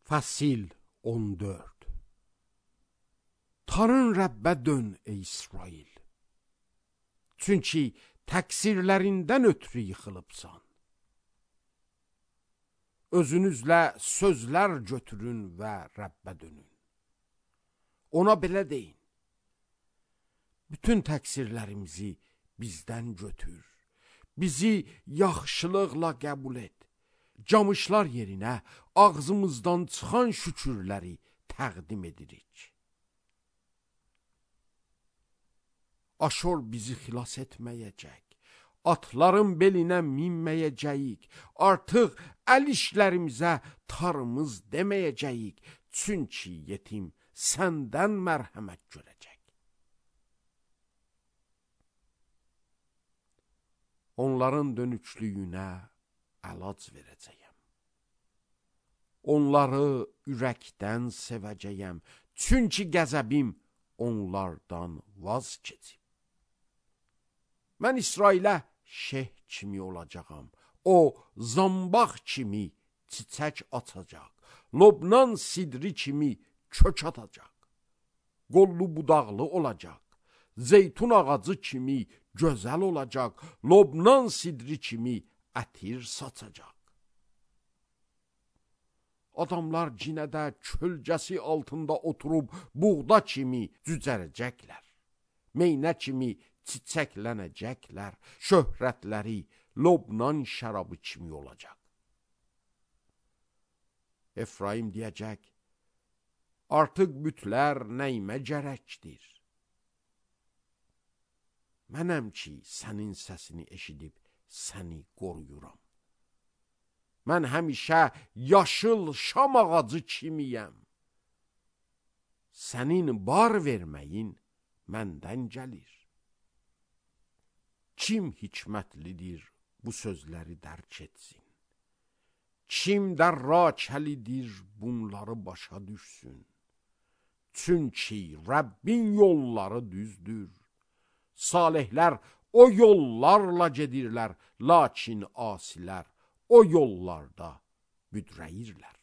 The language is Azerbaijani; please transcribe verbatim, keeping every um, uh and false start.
Fəsil on dörd. Tanrın Rəbbə dön ey İsrail. Çünki təqsirlərindən ötürü yıxılıbsan. Özünüzlə sözlər götürün və Rəbbə dönün. Ona belə deyin: bütün təqsirlərimizi bizdən götür. Bizi yaxşılıqla qəbul et. Camışlar yerinə ağzımızdan çıxan şükürləri təqdim edirik. Aşor bizi xilas etməyəcək. Atların belinə minməyəcəyik. Artıq əl işlərimizə tarımız deməyəcəyik. Çünki yetim səndən mərhəmət görəcək. Onların dönüklüyünə əlac verəcəyəm. Onları ürəkdən sevəcəyəm. Çünki qəzəbim onlardan vaz keçib. Mən İsrailə şeh kimi olacağam. O, zambaq kimi çiçək açacaq. Lobnan sidri kimi kök atacaq. Qollu budaqlı olacaq. Zeytun ağacı kimi gözəl olacaq. Lobnan sidri kimi ətir saçacaq. Adamlar cinədə kölgəsi altında oturub buğda kimi cücərəcəklər. Meynə kimi çiçəklənəcəklər. Şöhrətləri Lobnan şərabı kimi olacaq. Efraim deyəcək: artıq bütlər nəyimə gərəkdir? Mənəm ki, sənin səsini eşidib səni qoruyuram. Mən həmişə yaşıl şam ağacı kimiyəm. Sənin bar verməyin məndən gəlir. Kim hikmətlidir bu sözləri dərk etsin? Kim dərrakəlidir bunları başa düşsün? Çünki Rəbbin yolları düzdür. Salihlər o yollarla gedirlər, lakin asilər o yollarda büdrəyirlər.